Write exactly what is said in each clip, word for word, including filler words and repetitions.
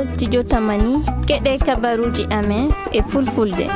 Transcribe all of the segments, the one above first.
Studio Tamani, keɗe kabaruji amen e fulfulde.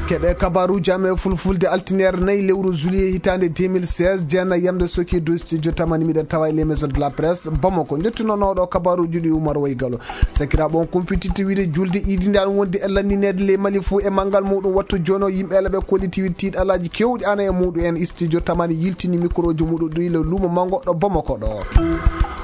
Keɗe kabaruji amen e fulfulde, altineere nayi lewru juillet hitaande deux mille seize, jeenayi yamde soki dow studio Tamani, miɗen tawa e les maisons de la presse Bamako. Njettunono ɗo kabaruji ɗi Umar Waygalo. Sakiraaɓe, on kumpititte wiide julde iidi nde an wondi e lannineede ley Mali fuu e manngal muɗum. Wattu jooni o yimɓe ele ɓe kolliti wiide tiiɗalaaji kewɗi ana e muɗum en. Studio Tamani yiltini mikroji muɗum ɗo e luumo manngo ɗo Bamako ɗo.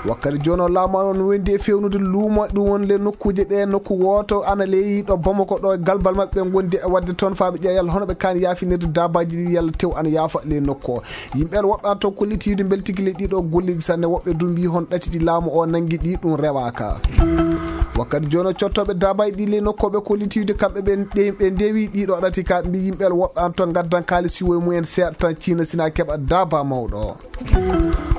Wakkati jooni o laamu an on wondi e fewnude luumo ɗum won le nokkuuje ɗe nokku wooto ana ley ɗo Bamako ɗo e galbal maɓɓe ɓe gondi e waɗde toon faa ɓe ƴeewa yalla hono ɓe kaani yaafinirde daabaaji ɗi yalla tew ana yaafa ley nokku o. Yimɓe en woɓɓe an toon kollitiiwde mbeltiki ley ɗiɗo golleeji sanne, woɓɓe du mbii hon ɗati ɗi laamu o nanngi ɗi ɗum rewaaka. Wakkati jooni o cottooɓe daabaaji ɗi ley nokkooɓe kollitiiwde kamɓe ɓe ɗe- ɓe ndewi ɗiɗo ɗati ka mbii yimɓe en woɓɓe an toon ngaddan kaalisi woye mumen seeɗa tan ciina sina keɓa daaba mawɗo.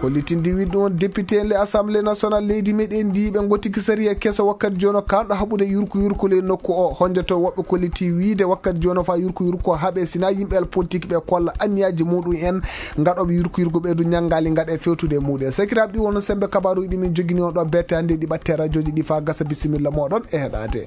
Hollitinde wiɗɗo on député en le assemblée nationale leydi meɗen ndi ɓe gottiki sariya keso wakkati jooni o kanɗo haɓude yurku yurku ley nokku o honjoto woɓɓe kolliti wiide wakkati jooni o fa yurku yurku o haɓe sina yimɓe el politique ɓe kolla anniyaaji muɗum en ngaɗooɓe yurku yurku ɓe du ñanngaali ngaɗa e fewtude e muɗum en. Sakiraaɓe ɗi wonno sembe kabaruji ɗi min jogini on ɗo bette hannde ɗi ɓatte radioji ɗi fa gasa bisimilla moɗon e heɗade.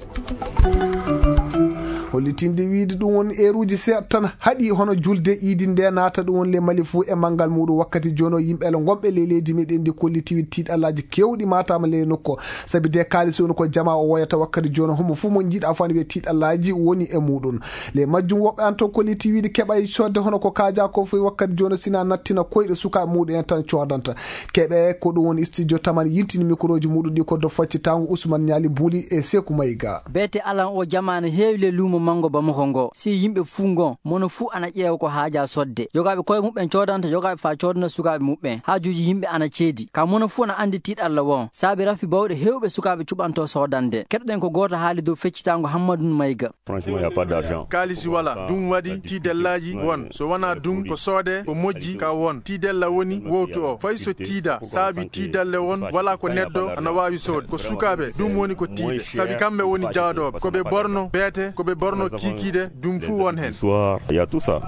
Hollitinde wiide ɗum won eeruji seeɗa tan haɗi hono julde iidi nde naata ɗum won le Mali fuu e manngal muɗum wakkati jooni o yimɓe ele gonɓe ley leydi meɗen ndi kolliti wiide tiiɗalaaji kewɗi matama ley nokku o. Sabi de kaalisi woni ko jama o woyata wakkati jooni o homo fuu mo jiiɗa fo ana wiye tiiɗalaaji woni e muɗum. Ley majjum woɓɓe an toon kolliti wiide keɓa e sodde hono ko kaaja ko fof wakkati jooni o sina nattina koyɗe sukaaɓe muɗum en tan coodanta. Keɓe ko ɗum woni studio Tamani yiltini mikroji muɗum ɗi ko do faccitango Ousmane Ñaali Buuli e Seeku Mayga. Beete alan o jamaana heewi le luumo manngo Bamako ngo. Si yimɓe fuu ngon, mono fuu ana ƴeewa ko haaja sodde. Jogaaɓe koye muɓɓen coodanta, jogaaɓe faa coodana sukaaɓe muɓɓen. Haajuuji yimɓe ana ceedi. Ka mono fuu ana anndi tiiɗalla won. Saabi rafi bawɗe heewɓe sukaaɓe cuɓanto soodande. Keɗoɗen ko gooto haali dow feccitango Hammadun Mayga. Franchement, il y a pas d'argent. Kaalisi wala, ɗum waɗi tiidellaaji won. So wonaa ɗum, ko soode, ko moƴƴi, ka won. Tiidella woni wowtu o. Fay so tiida, saabi tiidalle won, wala ko neɗɗo ana waawi sood. Ko sukaaɓe, ɗum woni ko tiide. Sabi kamɓe woni jaadooɓe. Ko ɓe borno, beete, ko ɓe borno kiikiiɗe, ɗum fuu won heen. Histoire, il y a tout ça.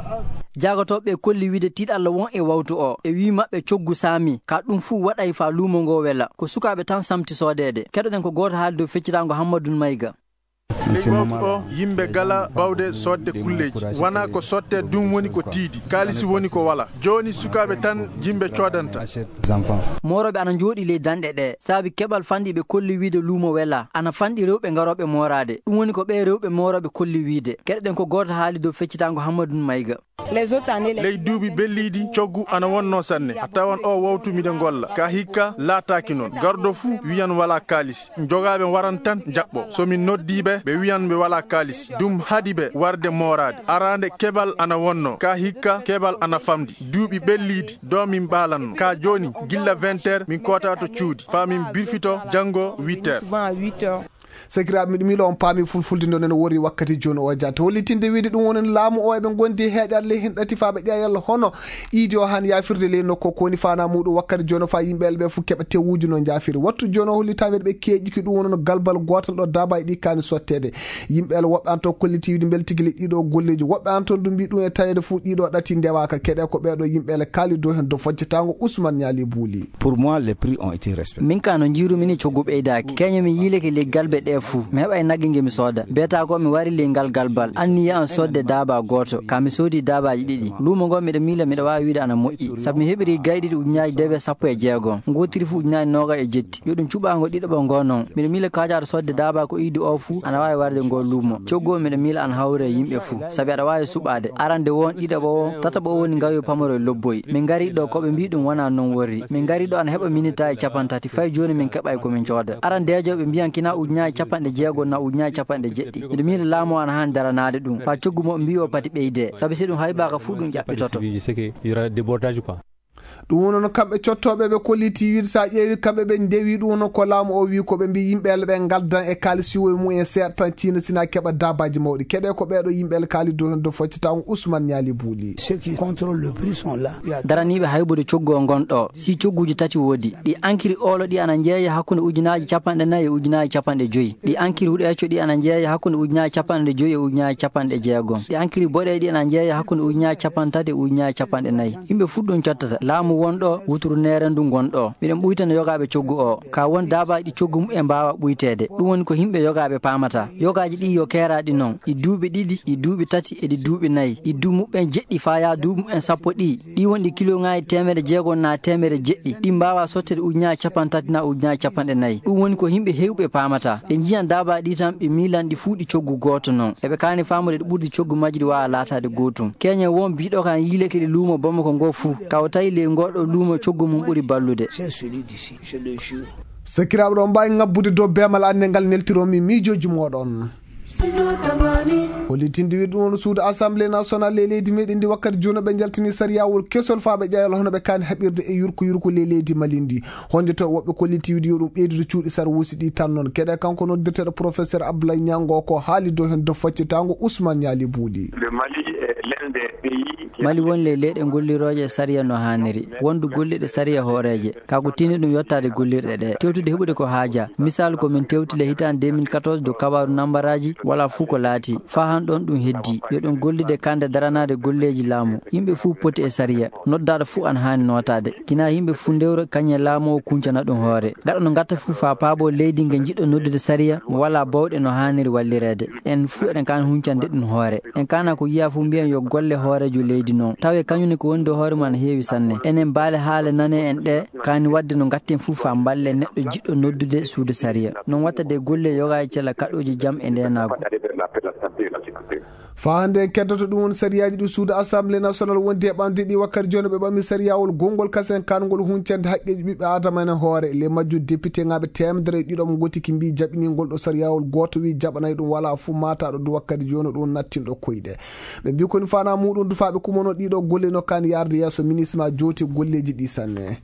Jaagotooɓe kolli wiide tiiɗalla won e wawtu o. E wii maɓɓe coggu saami, ka ɗum fuu waɗay faa luumo ngo wela. Ko sukaaɓe tan samti soodeede. Keɗoɗen ko gooto haali dow feccitaango Hammadun Mayga. Ley wawtu o, yimɓe gala bawde soodde kulleeji. Wona ko sotte, ɗum woni ko tiidi. Kaalisi woni ko wala. Jooni sukaaɓe tan yimɓe coodanta. Moorooɓe ana njooɗi ley danɗe ɗe. Saabi keɓal fanɗi ɓe kolli wiide luumo wela. Ana fanɗi rewɓe ngarooɓe mooraade. Ɗum woni ko ɓee rewɓe moorooɓe kolli wiide. Keɗoɗen ko gooto haali dow feccitaango Hammadun Mayga. Ley duuɓi ɓelliiɗi, coggu ana wonnoo sanne. A tawan oo wawtu miɗo ngolla. Ka hikka laataaki noon. Garɗo fuu wiyan walaa kaalis. Jogaaɓe waran tan njaɓɓo. So min noddii ɓe, ɓe wiyan ɓe walaa kaalis. Ɗum haɗi ɓe warde mooraade. Araande keɓal ana wonnoo. Ka hikka keɓal ana famɗi. Duuɓi ɓelliiɗi, ɗo min ɓaalanno. Ka jooni, gilla vingt heures, min koota to cuuɗi. Faa min birfito janngo huit heures. Sakiraaɓe, miɗo miila on paami fulfulde nden ene worri wakkati jooni o jaata. Hollitinde wiide ɗum wonen laamu o eɓe ngondi e heeƴaade ley hen ɗati faa ɓe ƴeewa yalla hono iidi o han yaafirde ley nokku o ko woni faanaa muuɗum wakkati jooni o faa yimɓe elɓe fof keɓa tewuuji no njaafiri. Wattu jooni o hollitaa wiide ɓe keeƴiki ɗum wonono galbal gootal ɗo daabaaji ɗi kaani sotteede. Yimɓe ele woɓɓe an toon kolliti wiide mbele tigi le ɗiɗo golleeji. Woɓɓe an toon ɗum mbii ɗum e taweede fof ɗiɗo ɗati ndewaaka. Keɗe ko ɓeeɗo yimɓe ele kaali dow hen dow foccitaango Ousmane Ñaali Buuli. Pour moi, les prix ont été respectés. Min ka no njiirumi ni coggu ɓeydaaki. Keñe mi yiileke ley galbe ɗe fuu. Mi heɓay nagge nge mi sooda. Beeta ko mi wari ley ngal galbal. Anniya an soodde daaba gooto. Ka mi soodi daabaaji ɗiɗi. Luumo ngo miɗo miila miɗo waawi wiide ana moƴƴi. Sabu mi heɓiri gayɗi ɗi ujunnaaji dewe sappo e jeegom. Ngootiri fuu ujunnaaji nooga e jetti. Yo ɗum cuɓaango ɗiɗaɓo ngo non. Miɗo miila kaajaaɗo soodde daaba ko iidi o fuu ana waawi warde ngo luumo. Coggu o miɗo miila ana hawri e yimɓe fuu. Sabi aɗa waawi suɓaade. Arande won, ɗiɗaɓo won, tataɓo woni ngayo pamaro e lobboyi. Min ngari ɗo ko ɓe mbii ɗum wonaa non worri. Min ngari ɗo ana heɓa minitaaji capanɗe tati. Fay jooni min keɓay ko min cooda. Arandeejo ɓe mbiyan kina ujunnaaji capanɗe jeegom na ujunnaaji capanɗe jeɗɗi. Miɗo miila laamu o ana haani daranaade ɗum. Faa coggu mo mbii o pati ɓeyde. Sabi si ɗum haybaaka fuu ɗum ƴaɓɓitoto. Ɗum woni no kamɓe cottooɓe ɓe kolliti wiide so a ƴeewi kamɓe ɓe ndewi ɗum woni ko laamu o wi ko ɓe mbi yimɓe ele ɓe ngaldan e kaali siwoye mumen seeɗa tan ciina sina keɓa daabaaji mawɗi. Keɗe ko ɓeeɗo yimɓe ele kaali dow hen dow foccitaango Ousmane Ñaali Buuli. Ceux qui contrôlent le prix sont là. Daraniiɓe haybude coggu o ngon ɗo. Si cogguuji tati woodi, ɗi ankiri oolo ɗi ana njeeya hakkunde ujunnaaji capanɗe nayi e ujunnaaji capanɗe joyi. Ɗi ankiri huɗo ecco ɗi ana njeeya hakkunde ujunnaaji capanɗe joyi e ujunnaaji capanɗe jeegom. Ɗi ankiri boɗeeji ɗi ana njeeya hakkunde ujunnaaji capanɗe tati e ujunnaaji capanɗe nayi. Yimɓe fuu ɗum cottata. Amu wonɗo wuturu neerandu ngonɗo. Miɗen ɓuytana yogaaɓe coggu o. Ka won daabaaji ɗi coggu mumen mbaawa ɓuyteede. Ɗum woni ko yimɓe yogaaɓe paamata. Yogaaji ɗi yo keeraaɗi noon. E duuɓi ɗiɗi, e duuɓi tati, e ɗi duuɓi nayi. E duuɓi mumen jeɗɗi faya duuɓi mumen sappo ɗi. Ɗi woni ɗi kiloŋaaji teemedde jeego na teemedde jeɗɗi. Ɗi mbaawa sotteede ujunaaji capanɗe tati na ujunaaji capanɗe nayi. Ɗum woni ko yimɓe heewɓe paamata. Ɓe njiyan daabaaji ɗi tan, ɓe miilan ɗi fuu ɗi coggu gooto noon. Eɓe kaani faamude ɗi ɓurdi coggu majji ɗi waawa laataade gootum. Keeñen won biɗo kan yiileke ɗi luumo Bamako ngo fuu. Ka o tawi ley ngoɗo luumo coggu mum ɓuri ballude. C'est celui d'ici, je le jure. Sakiraaɓe, ɗon mbaawi ŋabbude dow beemal anne ngal neltiromi miijooji mooɗon. Hollitinde wiɗ ɗum on suudu Assemblée nationale ley leydi meɗen ndi wakkati jooni ɓe njaltini sariyawol kesol faa ɓe ƴayal hono ɓe kaani haɓirde e yurko yurko ley leydi Mali ndi. Honde to woɓɓe kolliti wiɗ yo ɗum ɓeydude cuuɗi sarwuusi ɗi tan noon. Keɗe kanko noddirteeɗo professeur Abdoulaye Niango ko haali dow hen dow faccitango Ousmane Niali Buuli. Le Mali est l'un des pays qui Mali won ley leyɗe gollirooje e sariya no haaniri. Wondu golliɗe sariya hooreeje. Ka ko tini ɗum yottaade gollirɗe ɗe. Tewtude heɓude ko haaja. Misal ko min tewti le hitaande deux mille quatorze dow kabaaru nambaraaji wala fuu ko laati. Faa han ɗon ɗum heddi. Yo ɗum gollide kande daranaade golleeji laamu. Yimɓe fuu poti e sariya. Noddaaɗo fuu ana haani nootaade. Kina yimɓe fuu ndewra kañe laamu o kuncana ɗum hoore. Gaɗa no gatta fuu faa paabo leydi nge jiɗɗo noddude sariya mo wala bawɗe no haaniri wallireede. En fuu eɗen kaani huncande ɗum hoore. En kaana ko yiya fuu mbiyen yo golle hooreejo leydi noon. Tawe kañum ne ko woni dow hoore mum ana heewi sanne. Enen baale haale nane en ɗe kaani wadde no gatten fuu faa mballe neɗɗo jiɗɗo noddude suudu sariya. Noon watta de golle yogaaji cela kaɗooji jam e ndeenaagu. Faa hannde en keddoto ɗum woni sariyaaji ɗi suudu Assemblée nationale wondi e ɓamde ɗi wakkati jooni ɓe ɓami sariyawol gonngol kasen kaangol huncande haqqeeji ɓiɓɓe aadama en hoore. Ley majjum député ŋaaɓe teemedere e ɗiɗo mo ngotiki mbi jaɓiningol ɗo sariyawol gooto wi jaɓanay ɗum wala fuu maataɗo du wakkati jooni ɗum nattinɗo koyɗe. Ɓe mbi koni fana muɗum du faa ɓe kumono ɗiɗo golle no kaani yarde yeeso ministre ma jooti golleeji ɗi sanne.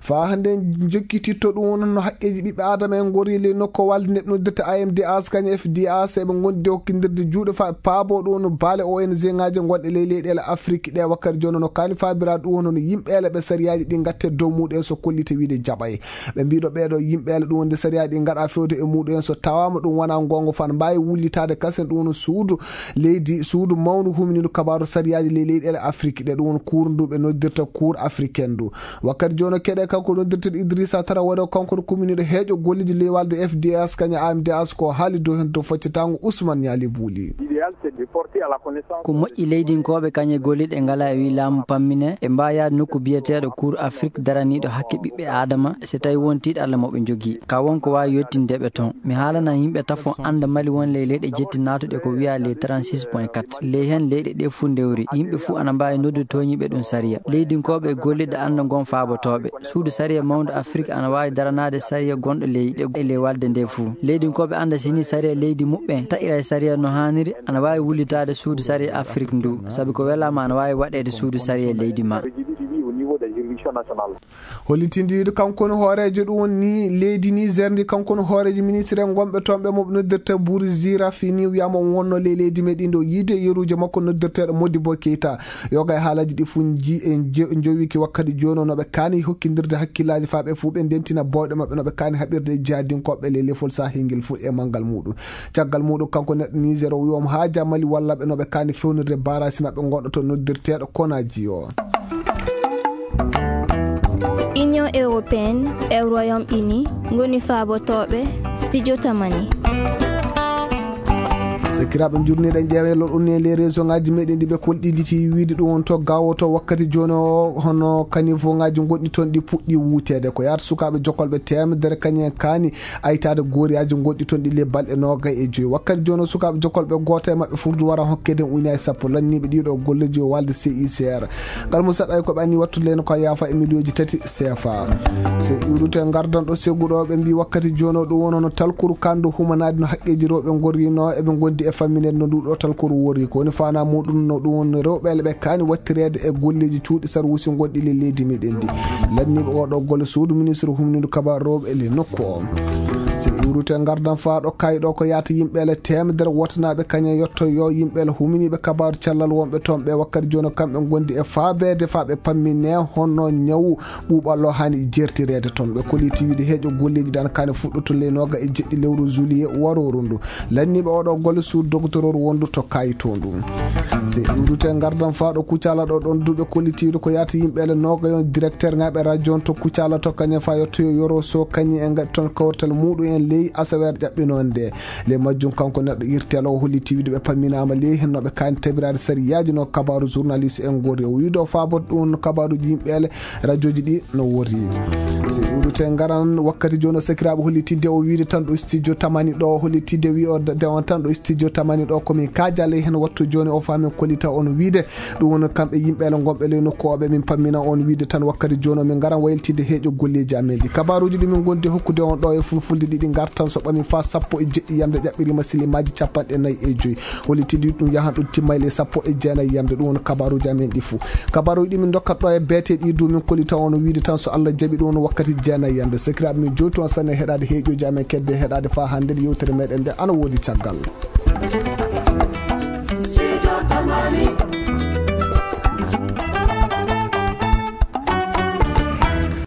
Faa hannde en jokkititto ɗum woni no haqqeeji ɓiɓɓe aadama en ngori ley nokko walde nde ɓe noddirta A M D H kañum F D H eɓe ngondi e hokkindirde juuɗe faa ɓe paabo ɗum no baale O N G ŋaaji gonɗe ley leyɗeele Afrik ɗe wakkati jooni no kaani faabira ɗum woni no yimɓeele ɓe sariyaaji ɗi ngatte dow muɗum en so kollite wiide jaɓay. Ɓe mbiɗo ɓeeɗo yimɓeele ɗum wonde sariyaaji ɗi ngaɗa fewde e muɗum en so tawaama ɗum wona ngongo fan mbaawi wullitaade kasen ɗum woni suudu leydi, suudu mawndu humindu kabaaru sariyaaji ley leyɗeele Afrik ɗe ɗum woni kuur ndu ɓe noddirta kuur africaine ndu. Wakkati jooni keɗe kanko noddirteeɗo Idrissa Traoré, kanko no kuminiiɗo heeƴo golleeji ley walde F D S kañum A M D S ko haali dow heen to faccitango Ousmane Niali Buuli. L'idéal, c'est de porter à la connaissance. Ko moƴƴi leydinkooɓe kañe golliɗe ngala e wi laamu pammine e mbaayaade nokku biyeteeɗo Cour Afrique daraniiɗo hakke ɓiɓɓe Aadama, so tawi won tiiɗalla mo ɓe njogii. Ka won ko waawi yettinde ɓe toon. Mi haalana yimɓe tafo annda Mali won ley leyɗe jetti naatuɗe ko wiya ley trente-six point quatre. Ley heen leyɗe ɗe fuu ndewri. Yimɓe fuu ana mbaawi noddude tooñiiɓe ɗum sariya. Leydinkooɓe e golliɗe annda ngon faabotooɓe. Suudu sariya mawndu Afrik ana waawi daranaade sariya gonɗo ley ɗe e ley walde nde fuu. Leydinkooɓe annda sini sariya leydi muɓɓen taƴira e sariya no haaniri, ana waawi wullitaade suudu sariya Afrik ndu. Sabi ko welaama ana waawi waɗeede suudu sariya leydi ma. Hollitinde wiide kanko no hooreejo ɗum woni leydi Niger ndi, kanko no hooreejo ministre en gonɓe toon ɓe mo noddirta Bouri Zirafi ni wiyama on wonno ley leydi meɗen ɗo yiide yeruujo makko noddirteeɗo Modibo Keita. Yoga e haalaji ɗi fuu nji-, en je-, jowiki wakkati jooni no ɓe kaani hokkindirde hakkillaaji faa ɓe fuu ɓe ndentina bawɗe maɓɓe no ɓe kaani haɓirde e jihadinkooɓe ley lefol Sahel ngel fuu e manngal muɗum. Caggal muɗum kanko neɗɗo Niger o wi'omo haaja Mali walla ɓe no ɓe kaani fewnirde barasi maɓɓe gonɗo to noddirteeɗo Konaji o. Union européenne e Royaume-Uni ngoni faabotooɓe studio Tamani. Sakiraaɓe, njurniiɗen ƴeewello ɗum ne les réseau ngaji meɗen ɗi ɓe kolɗinɗiti wiide ɗum on to gawoto wakkati jooni o, hono kanivo ngaji gonɗi toon ɗi puɗɗi wuuteede. Ko yaata sukaaɓe jokolɓe teemedere kañum en kaani aytaade gooriyaaji gonɗi toon ɗi le balɗe noogay e joyi. Wakkati jooni o sukaaɓe jokolɓe gooto e maɓɓe furdu wara hokkede ujunaaji sappo lanniiɓe ɗiɗo golleeji o walde C I C R. Ngal mo saɗa ko ɓe anni wattude leyno ko yaafa e miliyooji tati C F A. So iwruto e ngardan ɗo segguɗo ɓe mbi wakkati jooni o ɗum woni hono talkuru kandu humanaade no haqqeeji rewɓe ngorrino eɓe ngondi e famminede no ndu ɗo talkuru worri. Ko woni fana muɗum no ɗum woni rewɓe ɓe kaani wattireede e golleeji cuuɗi sarwuusi gonɗi le leydi meɗen ndi. Lanniiɓe oɗo golle suudu ministre humnindu kabaru rewɓe le nokku o. Si iwrute ngardan faa ɗo kayɗo ko yaata yimɓe ele teemedere wotanaaɓe kañe yotto yo yimɓe ele huminiiɓe kabaaru cellal wonɓe toon ɓe wakkati jooni kamɓe ngondi e faabeede faa ɓe pammine honno ñawu ɓuuɓallo hani jertireede toon. Ɓe koliti wiide heeƴo golleeji dan kane fuɗɗoto ley nooga e jeɗɗi lewru juillet warooru ndu. Lanniiɓe oɗo golle suudu dogotororu wondu to kayito ndu. Si iwrute ngardan faa ɗo kucala ɗo ɗon duuɓe kollitiiɗo ko yaata yimɓe ele nooga yon directeur ngaɓe radio on to kucala to kañe faa yottoyo yoro so kañe e ngaɗi toon kawrital muɗum en ley asaweere ƴaɓɓinoonde. Ley majjum kanko neɗɗo irtel o holli tiwiiɗo ɓe pamminaama ley heen no ɓe kaani tabiraade sariyaaji no kabaaru journaliste en ngori o wiido faabot ɗum no kabaaruji yimɓe ele radioji ɗi no wori. Si iwrute ngaran wakkati jooni o sakiraaɓe holli tidde o wiide tan ɗo studio tamani ɗo holli tidde wi o dewan tan ɗo studio tamani ɗo komin kaaja ley heen wattu jooni o faamin kollita on wiide ɗum woni kamɓe yimɓe ele ngonɓe ley nokku oɓe min pammina on wiide tan wakkati jooni o min ngaran waylitide heeƴo golleeji amen ɗi kabaaruji ɗi min gondi hokkude on ɗo e fulfulde ɗiɗi ngartan so ɓami faa sappo e jeɗɗi yamde ƴaɓɓirima silimaaji capanɗe nayi e joyi. Holitidi ɗum yahan ɗum timmayli e sappo e jeenayi yamde ɗum woni kabaruuji amen ɗi fuu. Kabaruuji ɗi min ndokkat ɗo e beete ɗi du min kolita on wiide tan so Allah jaɓi ɗum woni wakkati jeenayi yamde. Sakiraaɓe min jowtu on sanne heɗaade heeƴooji amen kedde heɗaade faa hannde nde yewtere meɗen nde ana woodi caggal.